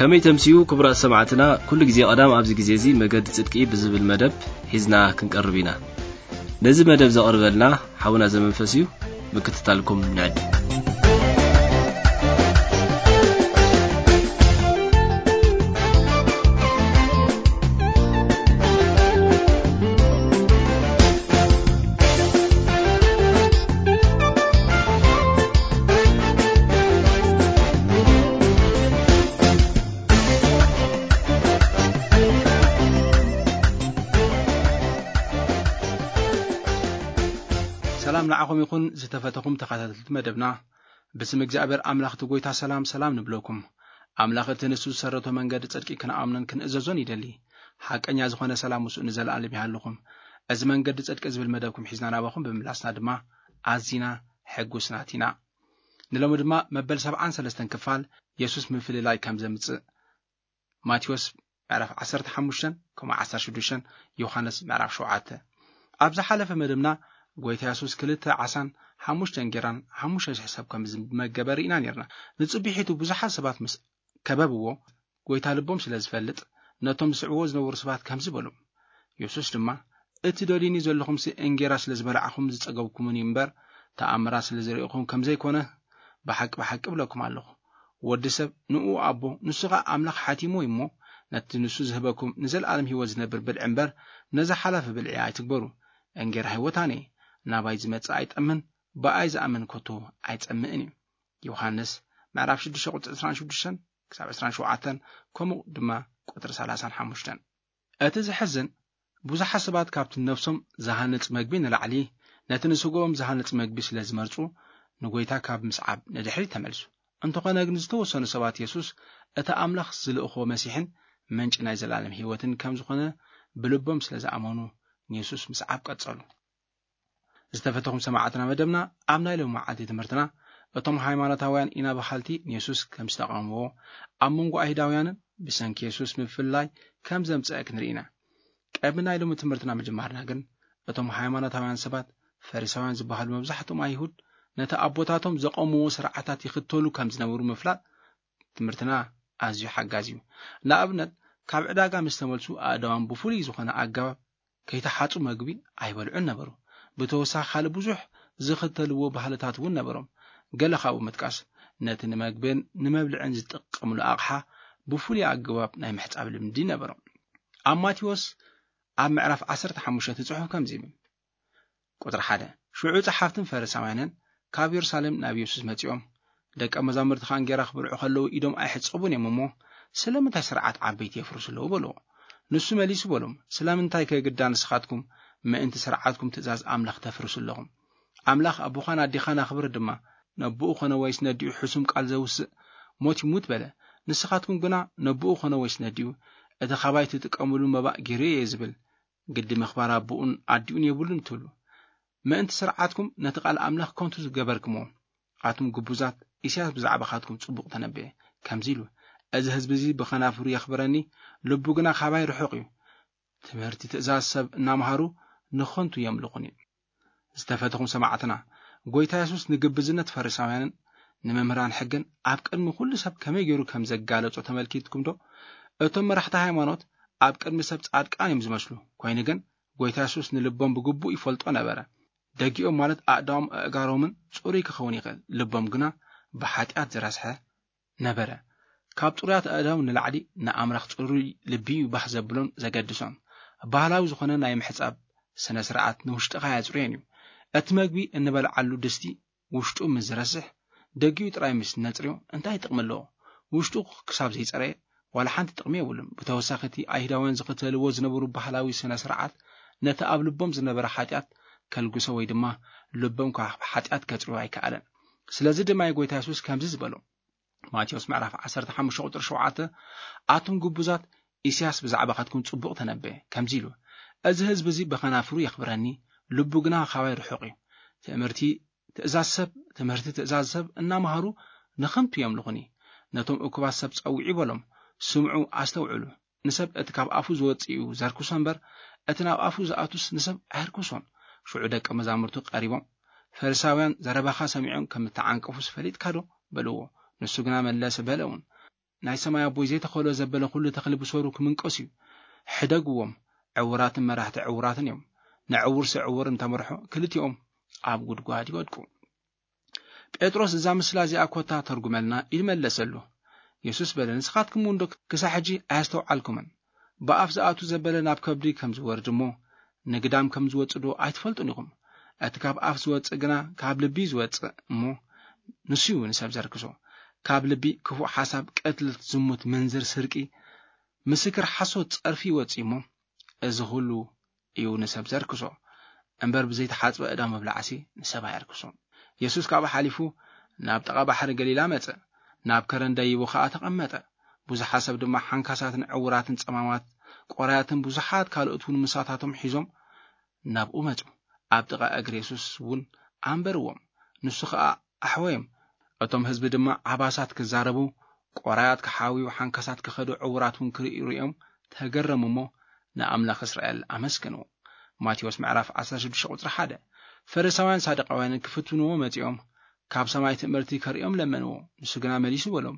ከመይ ተምስዩ ክቡራት ሰማዕትና፣ ኩሉ ግዜ ቀዳም ኣብዚ ግዜ እዚ መገዲ ጽድቂ ብዝብል መደብ ሒዝና ክንቀርብ ኢና። ነዚ መደብ ዘቕርበልና ሓውና ዘመንፈስ እዩ። ምክትታልኩም ንዕድም። ሰላም ንዓኹም ይኹን ዝተፈተኹም ተኸታተልቲ መደብና። ብስም እግዚኣብሔር ኣምላኽ እቲ ጐይታ ሰላም ሰላም ንብለኩም። ኣምላኽ እቲ ንሱ ዝሰረቶ መንገዲ ጽድቂ ክንኣምኖን ክንእዘዞን ይደሊ። ሓቀኛ ዝኾነ ሰላም ምስኡ ንዘለኣለም ይሃልኹም። እዚ መንገዲ ጽድቂ ዝብል መደብኩም ሒዝና ናባኹም ብምምላስና ድማ ኣዚና ሕጉስናት ኢና። ንሎሚ ድማ መበል ሰብዓን ሰለስተን ክፋል የሱስ ምፍልላይ ከም ዘምጽእ ማቴዎስ ምዕራፍ ዓሰርተ ሓሙሽተ ከምኡ ዓሰርተ ሽዱሽተ፣ ዮሃንስ ምዕራፍ ሸውዓተ። ኣብ ዝሓለፈ መደብና ጐይታ የሱስ ክልተ ዓሳን ሓሙሽተ እንጌራን ሓሙሽተ ሽሕ ሰብ ከም ዝመገበ ርኢና ነርና። ንጽቢሒቱ ብዙሓት ሰባት ምስ ከበብዎ፣ ጐይታ ልቦም ስለ ዝፈልጥ ነቶም ዝስዕብዎ ዝነበሩ ሰባት ከምዚ በሎም። የሱስ ድማ፣ እቲ ደልዩኒ ዘለኹምሲ እንጌራ ስለ ዝበላዕኹም ዝጸገብኩምን እዩ እምበር፣ ተኣምራት ስለ ዝርእኹም ከም ዘይኮነ ብሓቂ ብሓቂ እብለኩም ኣለኹ። ወዲ ሰብ ንኡ ኣቦ፣ ንሱ ኸኣ ኣምላኽ ሓቲምዎ እዩ እሞ፣ ነቲ ንሱ ዝህበኩም ንዘለኣለም ህይወት ዝነብር ብልዒ እምበር፣ ነዚ ሓላፊ ብልዒ ኣይትግበሩ። እንጌራ ህይወት ኣነ እየ። ናባይ ዝመጽእ ኣይጠምን፣ ብኣይ ዝኣምን ከቶ ኣይጸምእን እዩ። ዮሃንስ ምዕራፍ ሽዱሽተ ቁጽሪ ዕስራን ሽዱሽተን ክሳብ ዕስራን ሸውዓተን፣ ከምኡ ድማ ቁጽሪ ሰላሳን ሓሙሽተን። እቲ ዘሕዝን፣ ብዙሓት ሰባት ካብቲ ነፍሶም ዝሃንጽ መግቢ ንላዕሊ፣ ነቲ ንስግኦም ዝሃንጽ መግቢ ስለ ዝመርጹ፣ ንጐይታ ካብ ምስዓብ ንድሕሪት ተመልሱ። እንተኾነ ግን፣ ዝተወሰኑ ሰባት የሱስ እቲ ኣምላኽ ዝልእኾ መሲሕን ምንጪ ናይ ዘለኣለም ህይወትን ከም ዝኾነ ብልቦም ስለ ዝኣመኑ፣ ንየሱስ ምስዓብ ቀጸሉ። ዝተፈተኹም ሰማዕትና መደብና፣ ኣብ ናይ ሎሚ መዓልቲ ትምህርትና፣ እቶም ሃይማኖታውያን ኢና በሃልቲ ንየሱስ ከም ዝተቓወምዎ፣ ኣብ መንጎ ኣይሁዳውያንን ብሰንኪ የሱስ ምፍልላይ ከም ዘምጽአ ክንርኢ ኢና። ቅድሚ ናይ ሎሚ ትምህርትና ምጅማርና ግን፣ እቶም ሃይማኖታውያን ሰባት፣ ፈሪሳውያን ዝበሃሉ መብዛሕትኦም ኣይሁድ፣ ነቲ ኣቦታቶም ዘቐምዎ ስርዓታት ይኽተሉ ከም ዝነበሩ ምፍላጥ ትምህርትና ኣዝዩ ሓጋዚ እዩ። ንኣብነት፣ ካብ ዕዳጋ ምስ ተመልሱ፣ ኣእዳዎም ብፍሉይ ዝኾነ ኣገባብ ከይተሓጹ መግቢ ኣይበልዑን ነበሩ። ብተወሳኺ፣ ካልእ ብዙሕ ዝኽተልዎ ባህልታት እውን ነበሮም። ገለ ካብኡ ምጥቃስ፣ ነቲ ንመግብን ንመብልዕን ዝጥቀምሉ ኣቕሓ ብፍሉይ ኣገባብ ናይ ምሕጻብ ልምዲ ነበሮም። ኣብ ማቴዎስ ኣብ ምዕራፍ ዓሰርተ ሓሙሽተ እቲ ጽሑፍ ከምዚ ይብል። ቁጽሪ ሓደ፣ ሽዑ ጸሓፍትን ፈሪሳውያንን ካብ የሩሳሌም ናብ የሱስ መጺኦም፣ ደቀ መዛሙርትኻ እንጌራ ክበልዑ ከለዉ ኢዶም ኣይሕጸቡን እዮም እሞ፣ ስለምንታይ ስርዓት ዓበይቲ የፍርሱ ኣለዉ? በልዎ። ንሱ መሊሱ በሎም፣ ስለምንታይ ከ ግዳ ንስኻትኩም ምእንቲ ስርዓትኩም ትእዛዝ ኣምላኽ ተፍርሱ ኣለኹም? ኣምላኽ ኣቦኻን ኣዴኻን ኣኽብር ድማ፣ ነቦኡ ኾነ ወይስ ነዲኡ ሕሱም ቃል ዘውስእ ሞት ይሙት በለ። ንስኻትኩም ግና ነቦኡ ኾነ ወይስ ነዲኡ እቲ ኻባይ ትጥቀምሉ መባእ ገይረ እየ ዝብል፣ ግዲ ምኽባር ኣቦኡን ኣዲኡን የብሉን ትብሉ። ምእንቲ ስርዓትኩም ነቲ ቃል ኣምላኽ ከንቱ ዝገበርክሞ፣ ኣቱም ግቡዛት፣ ኢሳያስ ብዛዕባኻትኩም ጽቡቕ ተነበየ፣ ከምዚ ኢሉ፣ "እዚ ህዝቢ እዚ ብኸናፍሩ የኽብረኒ፣ ልቡ ግና ካባይ ርሑቕ እዩ። ትምህርቲ ትእዛዝ ሰብ እናምሃሩ ንኸንቱ የምልኹኒ." ዝተፈተኹም ሰማዕትና፣ ጐይታ የሱስ ንግብዝነት ፈሪሳውያንን ንመምህራን ሕግን ኣብ ቅድሚ ኩሉ ሰብ ከመይ ገይሩ ከም ዘጋለጾ ተመልኪትኩም ዶ? እቶም መራሕቲ ሃይማኖት ኣብ ቅድሚ ሰብ ጻድቃን እዮም ዝመስሉ፣ ኮይኑ ግን ጐይታ የሱስ ንልቦም ብግቡእ ይፈልጦ ነበረ። ደጊኦም ማለት ኣእዳዎም ኣእጋሮምን ጽሩይ ክኸውን ይኽእል፣ ልቦም ግና ብሓጢኣት ዝረስሐ ነበረ። ካብ ጽሩያት ኣእዳው ንላዕሊ ንኣምላኽ ጽሩይ ልቢ እዩ ባህ ዘብሎን ዘገድሶን። ባህላዊ ዝኾነ ናይ ምሕጻብ ስነ ስርዓት ንውሽጥኻ የጽርዮን እዩ። እቲ መግቢ እንበልዓሉ ድስቲ ውሽጡ ምስ ዝረስሕ፣ ደጊኡ ጥራይ ምስ ነጽርዮ እንታይ ጥቕሚ ኣለዎ? ውሽጡ ክሳብ ዘይጸረየ ዋላ ሓንቲ ጥቕሚ የብሉን። ብተወሳኺ፣ እቲ ኣይሁዳውያን ዝኽተልዎ ዝነበሩ ባህላዊ ስነ ስርዓት ነቲ ኣብ ልቦም ዝነበረ ሓጢኣት ከልግሶ ወይ ድማ ልቦም ካብ ሓጢኣት ከጽርዮ ኣይከኣለን። ስለዚ ድማ እዩ ጐይታ የሱስ ከምዚ ዝበሎ። ማቴዎስ ምዕራፍ ዓሰርተ ሓሙሽተ ቁጽሪ ሸውዓተ፣ ኣቱም ግቡዛት፣ ኢሳያስ ብዛዕባኻትኩም ጽቡቕ ተነበየ፣ ከምዚ ኢሉ፣ "እዚ ህዝቢ እዚ ብኸናፍሩ የኽብረኒ፣ ልቡ ግና ካባይ ርሑቕ እዩ። ትእምርቲ ትእዛዝ ሰብ፣ ትምህርቲ ትእዛዝ ሰብ እናመሃሩ ንኸንቱ የምልኹኒ። ነቶም እኩባት ሰብ ጸውዒ በሎም፣ ስምዑ፣ ኣስተውዕሉ። ንሰብ እቲ ካብ ኣፉ ዝወጽእ እዩ ዘርክሶ እምበር፣ እቲ ናብ ኣፉ ዝኣቱስ ንሰብ ኣየርክሶን።" ሽዑ ደቀ መዛሙርቱ ቀሪቦም፣ "ፈሪሳውያን ዘረባኻ ሰሚዖም ከም እተዓንቀፉስ ፈሊጥካ ዶ?" በልዎ። ንሱ ግና መለሰ፣ በለ እውን፣ ናይ ሰማይ ኣቦይ ዘይተኸሎ ዘበለ ኩሉ ተኽሊ ብሰሩ ክምንቀስ እዩ። ሕደግዎም፣ ዕውራትን መራሕቲ ዕውራትን እዮም። ንዕውርሲ ዕውር እንተመርሖ ክልቲኦም ኣብ ጉድጓድ ይወድቁ። ጴጥሮስ፣ እዛ ምስላ እዚኣ ኮታ ተርጉመልና፣ ኢሉ መለሰሉ። የሱስ በለ፣ ንስኻትኩም እውን ዶ ክሳዕ ሕጂ ኣያስተውዓልኩምን? ብኣፍ ዝኣቱ ዘበለ ናብ ከብዲ ከም ዝወርድ እሞ፣ ንግዳም ከም ዝወጽእ ዶ ኣይትፈልጡን ኢኹም? እቲ ካብ ኣፍ ዝወጽእ ግና ካብ ልቢ እዩ ዝወጽእ እሞ፣ ንሱ እዩ ንሰብ ዘርክሶ። ካብ ልቢ ክፉእ ሓሳብ፣ ቅትለት፣ ዝሙት፣ ምንዝር፣ ስርቂ፣ ምስክር ሓሶት፣ ጸርፊ ይወጽእ እሞ፣ እዚ ኩሉ እዩ ንሰብ ዘርክሶ። እምበር ብዘይተሓጽበ እዳ ምብላዕሲ ንሰብ ኣየርክሶ። የሱስ ካብኡ ሓሊፉ ናብ ጥቓ ባሕሪ ገሊላ መጸ። ናብ ከረን ደይቡ ኸኣ ተቐመጠ። ብዙሓት ሰብ ድማ ሓንካሳትን ዕውራትን ጸማማት ቆራያትን ብዙሓት ካልኦት እውን ምሳታቶም ሒዞም ናብኡ መጹ። ኣብ ጥቓ እግሪ የሱስ እውን ኣንበርዎም። ንሱ ኸኣ ኣሕወዮም። እቶም ህዝቢ ድማ ዓባሳት ክዛረቡ፣ ቆራያት ክሓውዩ፣ ሓንካሳት ክኸዱ፣ ዕውራት እውን ክርእዩ ርእዮም ተገረሙ እሞ ንኣምላኽ እስራኤል ኣመስገንዎ። ማቴዎስ ምዕራፍ ዓሰርተ ሽዱሽተ ቁጽሪ ሓደ። ፈሪሳውያን ሳዱቃውያንን ክፍትንዎ መጺኦም ካብ ሰማይ ትምህርቲ ከርእዮም ለመንዎ። ንሱ ግና መሊሱ በሎም፣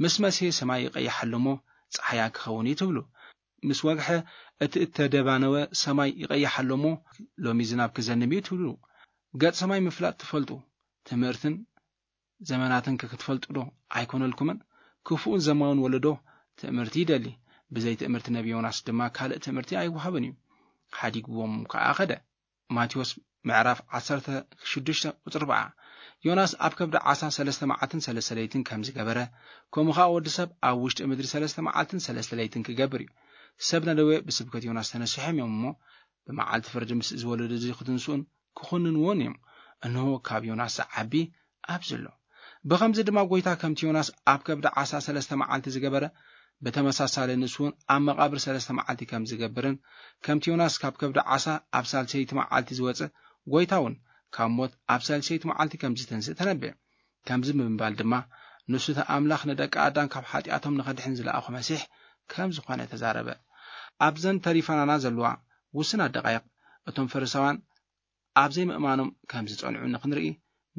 ምስ መስሔ ሰማይ ይቐይሕ ኣሎ እሞ ጸሓያ ክኸውን እዩ ትብሉ። ምስ ወግሐ እቲ እተደባነወ ሰማይ ይቐይሕ ኣሎ እሞ ሎሚ ዝናብ ክዘንብ እዩ ትብሉ። ገጽ ሰማይ ምፍላጥ ትፈልጡ ትምህርትን ዘመናትን ከ ክትፈልጡ ዶ ኣይኮነልኩምን? ክፉእን ዘማውን ወለዶ ትምህርቲ ይደሊ። ብዘይ ትምህርቲ ነቢ ዮናስ ድማ ካልእ ትምህርቲ ኣይወሃብን እዩ። ሓዲግዎም ከኣ ኸደ። ማቴዎስ ምዕራፍ ዓሰርተ ሽዱሽተ ቁጽሪ ኣርባዓ። ዮናስ ኣብ ከብዲ ዓሳ ሰለስተ መዓልትን ሰለስተ ለይትን ከም ዝገበረ፣ ከምኡ ኸኣ ወዲ ሰብ ኣብ ውሽጢ ምድሪ ሰለስተ መዓልትን ሰለስተ ለይትን ክገብር እዩ። ሰብ ነነዌ ብስብከት ዮናስ ተነሲሖም እዮም እሞ፣ ብመዓልቲ ፍርዲ ምስ እዚ ወለዶ እዚ ክትንስኡን ክኹንንዎን እዮም። እንሆ፣ ካብ ዮናስ ዝዓቢ ኣብዚ ኣሎ። ብኸምዚ ድማ ጐይታ ከምቲ ዮናስ ኣብ ከብዲ ዓሳ ሰለስተ መዓልቲ ዝገበረ፣ ብተመሳሳሊ ንሱ እውን ኣብ መቓብር ሰለስተ መዓልቲ ከም ዝገብርን፣ ከምቲ ዮናስ ካብ ከብዲ ዓሳ ኣብ ሳልሰይቲ መዓልቲ ዝወጸ፣ ጐይታ እውን ካብ ሞት ኣብ ሳልሰይቲ መዓልቲ ከም ዝትንስእ ተነብየ። ከምዚ ብምባል ድማ፣ ንሱ እቲ ኣምላኽ ንደቂ ኣዳም ካብ ሓጢኣቶም ንኸድሕን ዝለኣኾ መሲሕ ከም ዝኾነ ተዛረበ። ኣብዘን ተሪፋናና ዘለዋ ውስናት ደቓይቕ፣ እቶም ፈሪሳውያን ኣብ ዘይምእማኖም ከም ዝጸንዑ ንኽንርኢ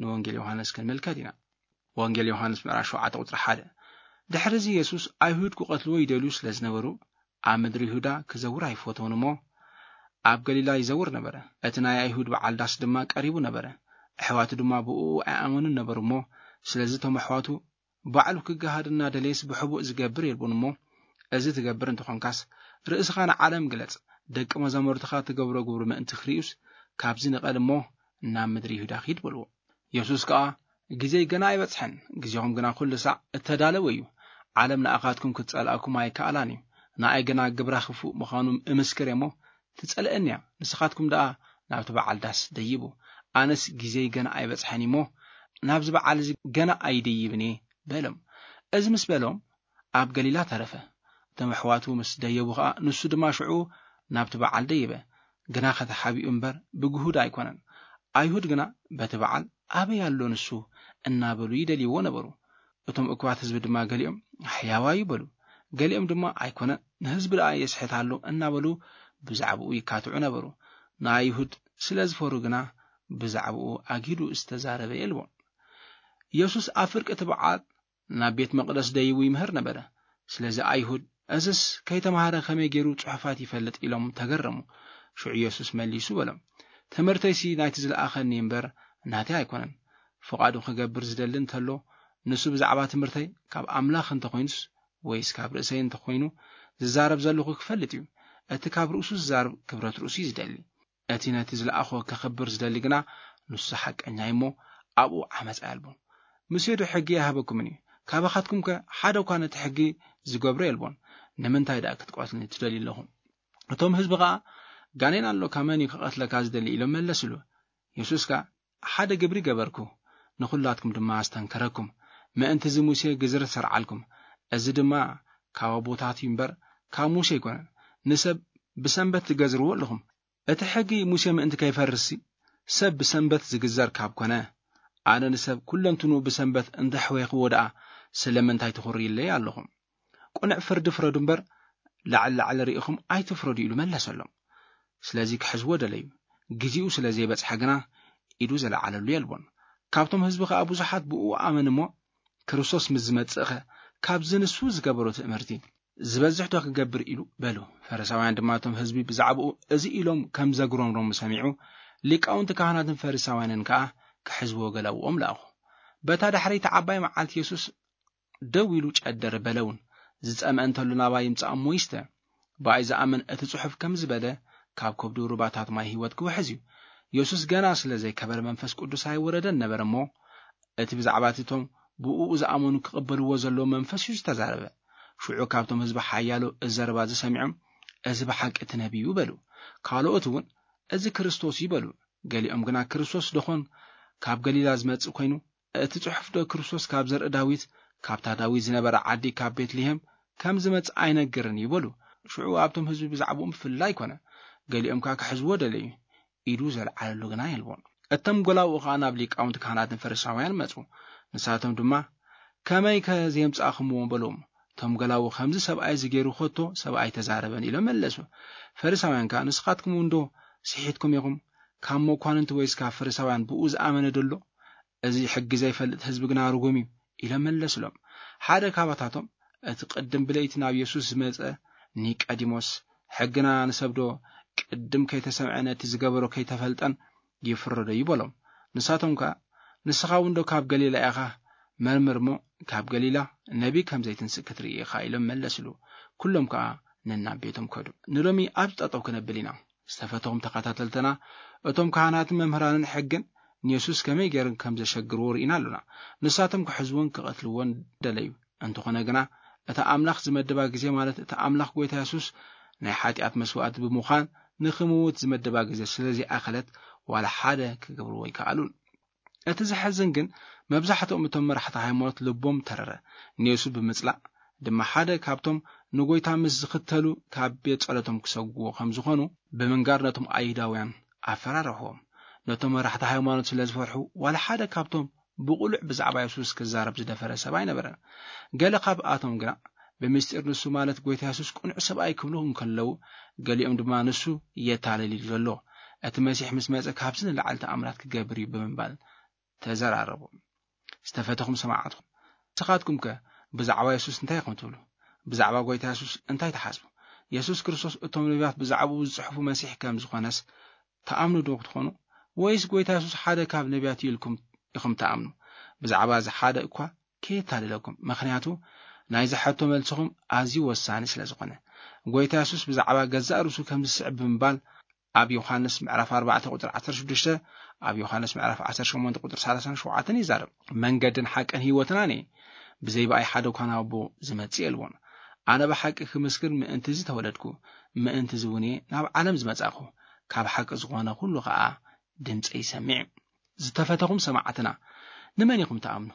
ንወንጌል ዮሃንስ ክንምልከት ኢና። ወንጌል ዮሃንስ ምዕራፍ ሸውዓተ ቁጽሪ ሓደ። ድሕሪ እዚ የሱስ ኣይሁድ ክቐትልዎ ይደልዩ ስለ ዝነበሩ ኣብ ምድሪ ይሁዳ ክዘውር ኣይፈተውን እሞ ኣብ ገሊላ ይዘውር ነበረ። እቲ ናይ ኣይሁድ በዓል ዳስ ድማ ቀሪቡ ነበረ። ኣሕዋቱ ድማ ብእኡ ኣይኣመኑን ነበሩ እሞ ስለዚ እቶም ኣሕዋቱ ባዕሉ ክገሃድ እናደለየስ ብሕቡእ ዝገብር የልቦን እሞ እዚ ትገብር እንተኾንካስ ርእስኻ ንዓለም ግለጽ፣ ደቂ መዛሙርትኻ ትገብሮ ግብሪ ምእንቲ ክርእዩስ ካብዚ ንቐል እሞ ናብ ምድሪ ይሁዳ ኪድ በልዎ። የሱስ ከኣ ግዜይ ገና ኣይበጽሐን፣ ግዜኹም ግና ኩሉ ሳዕ እተዳለወ እዩ። ዓለም ንኣኻትኩም ክትጸልኣኩም ኣይከኣላን እዩ። ንኣይ ግና ግብራ ክፉእ ምዃኑ እምስክር እየ እሞ ትጸልአኒ እያ። ንስኻትኩም ደኣ ናብቲ በዓል ዳስ ደይቡ። ኣነስ ግዜይ ገና ኣይበጽሐን እሞ ናብዚ በዓል እዚ ገና ኣይደይብን እየ በሎም። እዚ ምስ በሎም ኣብ ገሊላ ተረፈ። እቶም ኣሕዋቱ ምስ ደየቡ ኸኣ ንሱ ድማ ሽዑ ናብቲ በዓል ደየበ። ግና ከተሓቢኡ እምበር ብግሁድ ኣይኮነን። ኣይሁድ ግና በቲ በዓል ኣበይ ኣሎ ንሱ እናበሉ ይደልይዎ ነበሩ። እቶም እኩባት ህዝቢ ድማ ገሊኦም ሕያዋይ ይበሉ፣ ገሊኦም ድማ ኣይኮነ ንህዝቢ ደኣ የስሕት ኣሎ እናበሉ ብዛዕባኡ ይካትዑ ነበሩ። ንኣይሁድ ስለ ዝፈሩ ግና ብዛዕባኡ ኣጊዱ ዝተዛረበ የልቦን። የሱስ ኣብ ፍርቂ እቲ በዓል ናብ ቤት መቕደስ ደይቡ ይምህር ነበረ። ስለዚ ኣይሁድ እዝስ ከይተማሃረ ከመይ ገይሩ ጽሑፋት ይፈልጥ ኢሎም ተገረሙ። ሽዑ የሱስ መሊሱ በሎም፣ ትምህርተይሲ ናይቲ ዝለኣኸኒ እምበር ናተይ ኣይኮነን። ፍቓዱ ክገብር ዝደሊ እንተሎ ንሱ ብዛዕባ ትምህርተይ ካብ ኣምላኽ እንተኾይኑስ ወይስ ካብ ርእሰይ እንተኾይኑ ዝዛረብ ዘለኹ ክፈልጥ እዩ። እቲ ካብ ርእሱ ዝዛረብ ክብረት ርእሱ እዩ ዝደሊ። እቲ ነቲ ዝለኣኾ ከኽብር ዝደሊ ግና ንሱ ሓቀኛ እዩ እሞ ኣብኡ ዓመፃ የልቦን። ሙሴ ዶ ሕጊ ኣይሃበኩምን እዩ? ካባኻትኩም ከ ሓደ እኳ ነቲ ሕጊ ዝገብሮ የልቦን። ንምንታይ ደኣ ክትቀትሉኒ ትደልዩ ኣለኹም? እቶም ህዝቢ ኸዓ ጋኔን ኣሎካ፣ መን እዩ ክቐትለካ ዝደሊ ኢሎም መለስሉ። የሱስ ከ ሓደ ግብሪ ገበርኩ፣ ንኹላትኩም ድማ ኣስተንከረኩም። ምእንቲ እዚ ሙሴ ግዝረት ሰርዓልኩም። እዚ ድማ ካብ ኣቦታት እዩ እምበር ካብ ሙሴ ኣይኮነን። ንሰብ ብሰንበት ትገዝርዎ ኣለኹም። እቲ ሕጊ ሙሴ ምእንቲ ከይፈርስሲ ሰብ ብሰንበት ዝግዘር ካብ ኮነ፣ ኣነ ንሰብ ኩለንትንኡ ብሰንበት እንተሕወይኽዎ ደኣ ስለምንታይ ትኹርዩለይ ኣለኹም? ቅኑዕ ፍርዲ ፍረዱ እምበር ላዕሊ ላዕሊ ርኢኹም ኣይትፍረዱ ኢሉ መለሰሎም። ስለዚ ክሕዝዎ ደለዩ። ግዜኡ ስለ ዘይበጽሐ ግና ኢዱ ዘለዓለሉ የልቦን። ካብቶም ህዝቢ ከኣ ብዙሓት ብእኡ ኣመን እሞ ክርስቶስ ምስ ዝመጽእኸ ካብዚ ንሱ ዝገበሮ ትእምርቲ ዝበዝሕ ዶ ክገብር ኢሉ በሉ። ፈሪሳውያን ድማ እቶም ህዝቢ ብዛዕባኡ እዚ ኢሎም ከም ዘጉረምረሙ ሰሚዑ፣ ሊቃውንቲ ካህናትን ፈሪሳውያንን ከኣ ክሕዝዎ ገላውኦም ለኣኹ። በታ ዳሕረይቲ ዓባይ መዓልቲ የሱስ ደው ኢሉ ጨደር በለውን፣ "ዝጸምአ እንተሉ ናባይ ይምጻእ እሞ ይስተ። ብኣይ ዝኣምን እቲ ጽሑፍ ከም ዝበለ፣ ካብ ከብዱ ሩባታት ማይ ህይወት ክውሕዝ እዩ።" የሱስ ገና ስለ ዘይከበረ መንፈስ ቅዱስ ኣይወረደን ነበር እሞ፣ እቲ ብዛዕባ እቲ እቶም ብእኡ ዝኣመኑ ክቕበልዎ ዘለዎ መንፈስ እዩ ዝተዛረበ። ሽዑ ካብቶም ህዝቢ ሓያሎ እዚ ዘረባ እዚ ሰሚዖም፣ "እዚ ብሓቂ እቲ ነቢይ እዩ" በሉ። ካልኦት እውን፣ "እዚ ክርስቶስ እዩ" በሉ። ገሊኦም ግና፣ "ክርስቶስ ደኾን ካብ ገሊላ ዝመጽእ ኮይኑ፣ እቲ ጽሑፍ ዶ ክርስቶስ ካብ ዘርኢ ዳዊት፣ ካብታ ዳዊት ዝነበረ ዓዲ ካብ ቤትልሄም ከም ዝመጽእ ኣይነግርን እዩ?" በሉ። ሽዑ ኣብቶም ህዝቢ ብዛዕባኡ ብፍላይ ኮነ። ገሊኦም ከኣ ክሕዝዎ ደለዩ። ኢዱ ዘልዓለሉ ግና የልቦን። እቶም ጎላውኡ ኸኣ ናብ ሊቃውንቲ ካህናትን ፈሪሳውያን መጹ። ንሳቶም ድማ፣ "ከመይከ ዘየምጻእኹምዎ?" በሎም። እቶም ጎላው፣ "ከምዚ ሰብኣይ እዚ ገይሩ ኸቶ ሰብ ኣይተዛረበን" ኢሎም መለሱ። ፈሪሳውያን ከኣ፣ "ንስኻትኩም እንዶ ስሒትኩም ኢኹም? ካብ መኳንንቲ ወይስ ካብ ፈሪሳውያን ብኡ ዝኣመነ ደሎ? እዚ ሕጊ ዘይፈልጥ ህዝቢ ግና ርጉም እዩ" ኢሎም መለስሎም። ሓደ ካባታቶም፣ እቲ ቅድም ብለይቲ ናብ የሱስ ዝመጸ ኒቀዲሞስ፣ "ሕግና ንሰብ ዶ ቅድም ከይተሰምዐ ነቲ ዝገበሮ ከይተፈልጠን ይፍረዶ?" ይበሎም። ንሳቶም ከኣ፣ "ንስኻ እውን ዶ ካብ ገሊላ ኢኻ? መርምር እሞ ካብ ገሊላ ነቢ ከም ዘይትንስእ ክትርኢ ኢኻ" ኢሎም መለስሉ። ኩሎም ከኣ ነናብ ቤቶም ከዱ። ንሎሚ ኣብ ጠጠው ክነብል ኢና። ዝተፈተኹም ተኸታተልትና፣ እቶም ካህናትን መምህራንን ሕግን ንየሱስ ከመይ ገይሮም ከም ዘሸግርዎ ርኢና ኣሎና። ንሳቶም ክሕዝዎን ክቐትልዎን ደለዩ። እንተኾነ ግና፣ እታ ኣምላኽ ዝመደባ ግዜ፣ ማለት እታ ኣምላኽ ጎይታ የሱስ ናይ ሓጢኣት መስዋእቲ ብምዃን ንኽምውት ዝመደባ ግዜ ስለ ዘይኣኸለት፣ ዋላ ሓደ ክገብርዎ ኣይከኣሉን። እቲ ዘሕዝን ግን፣ መብዛሕትኦም እቶም መራሕቲ ሃይማኖት ልቦም ተረረ። ንየሱስ ብምጽላእ ድማ ሓደ ካብቶም ንጎይታ ምስ ዝኽተሉ ካብ ቤት ጸሎቶም ክሰግዎ ከም ዝኾኑ ብምንጋር ነቶም ኣይሁዳውያን ኣፈራረሕዎም። ነቶም መራሕቲ ሃይማኖት ስለ ዝፈርሑ፣ ዋላ ሓደ ካብቶም ብቕሉዕ ብዛዕባ የሱስ ክዛረብ ዝደፈረ ሰብ ኣይነበረን። ገለ ካብኣቶም ግና ብምስጢር ንሱ ማለት ጎይታ የሱስ ቅኑዕ ሰብኣይ ክብሉ እንከለዉ፣ ገሊኦም ድማ ንሱ የታልል እዩ ዘሎ፣ እቲ መሲሕ ምስ መጸ ካብዚ ንላዕሊ ተኣምራት ክገብር እዩ ብምባል ተዘራረቡ። ዝተፈተኹም ሰማዕትኹም፣ ንስኻትኩም ከ ብዛዕባ የሱስ እንታይ ኢኹም ትብሉ? ብዛዕባ ጎይታ የሱስ እንታይ ትሓስቡ? የሱስ ክርስቶስ እቶም ነቢያት ብዛዕባኡ ዝጽሕፉ መሲሕ ከም ዝኾነስ ትኣምኑ ዶ ክትኾኑ? ወይስ ጎይታ የሱስ ሓደ ካብ ነቢያት እዩ ኢልኩም ኢኹም ትኣምኑ? ብዛዕባ እዚ ሓደ እኳ ከየታልለኩም፣ ምኽንያቱ ናይዚ ሕቶ መልስኹም ኣዝዩ ወሳኒ ስለ ዝኾነ። ጎይታ የሱስ ብዛዕባ ገዛእ ርእሱ ከም ዝስዕብ ብምባል ኣብ ዮሃንስ ምዕራፍ ኣርባዕተ ቁጽሪ ዓሰርተ ሽዱሽተ፣ ኣብ ዮሃንስ ምዕራፍ ዓሰርተ ሸሞንተ ቁጽሪ ሰላሳን ሸውዓተን ይዛረብ። "መንገድን ሓቅን ህይወትን ኣነ እየ፣ ብዘይ ብኣይ ሓደ እኳ ናብ ኣቦ ዝመጽእ የልቦን። ኣነ ብሓቂ ክምስክር ምእንቲ እዚ ተወለድኩ፣ ምእንቲ እዚ እውን እየ ናብ ዓለም ዝመጻእኩ። ካብ ሓቂ ዝኾነ ኩሉ ኸኣ ድምጸይ ይሰምዕ እዩ።" ዝተፈተኹም ሰማዕትና፣ ንመን ኢኹም ትኣምኑ?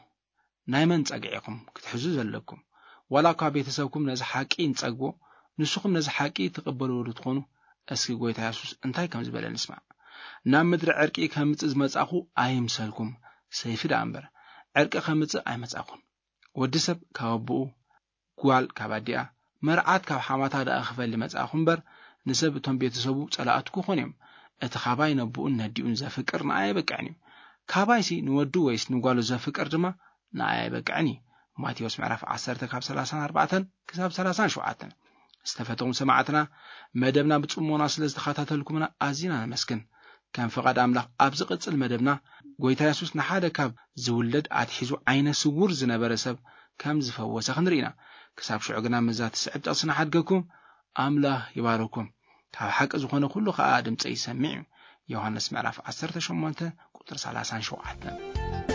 ናይ መን ጸግዒ ኢኹም ክትሕዙ ዘለኩም? ዋላ እኳ ቤተሰብኩም ነዚ ሓቂ እንጸግቦ፣ ንስኹም ነዚ ሓቂ ትቕበልዎ ዶ ትኾኑ? እስኪ ጎይታ የሱስ እንታይ ከም ዝበለ ንስማዕ። "ናብ ምድሪ ዕርቂ ከምጽእ ዝመጻኹ ኣይምሰልኩም፣ ሰይፊ ደኣ እምበር፣ ዕርቂ ከምጽእ ኣይመጻኹን። ወዲ ሰብ ካብ ኣቦኡ፣ ጓል ካብ ኣዲኣ፣ መርዓት ካብ ሓማታ ደኣ ክፈሊ መጻእኹ እምበር፣ ንሰብ እቶም ቤተሰቡ ጸላእቱ ክኾኑ እዮም። እቲ ካባይ ነቦኡን ነዲኡን ዘፍቅር ንኣይ ኣይበቅዕን እዩ። ካባይሲ ንወዱ ወይስ ንጓሉ ዘፍቅር ድማ ንኣይ ኣይበቅዕን እዩ።" ማቴዎስ ምዕራፍ ዓሰርተ ካብ ሰላሳን ኣርባዕተን ክሳብ ሰላሳን ሸውዓተን። ዝተፈተኹም ሰማዕትና፣ መደብና ብጽሞና ስለ ዝተኸታተልኩምና ኣዚና ነመስግን። ከም ፍቓድ ኣምላኽ፣ ኣብ ዝቕጽል መደብና፣ ጎይታ የሱስ ንሓደ ካብ ዝውለድ ኣትሒዙ ዓይነ ስውር ዝነበረ ሰብ ከም ዝፈወሰ ክንርኢ ኢና። ክሳብ ሽዑ ግና፣ ምስዛ ትስዕብ ጥቕሲ ንሓድገኩም፣ ኣምላኽ ይባርኩም። "ካብ ሓቂ ዝኾነ ኩሉ ኸኣ ድምጸይ ይሰምዕ እዩ።" ዮሃንስ ምዕራፍ ዓሰርተ ሸሞንተ ቁጽሪ ሰላሳን ሸውዓተን።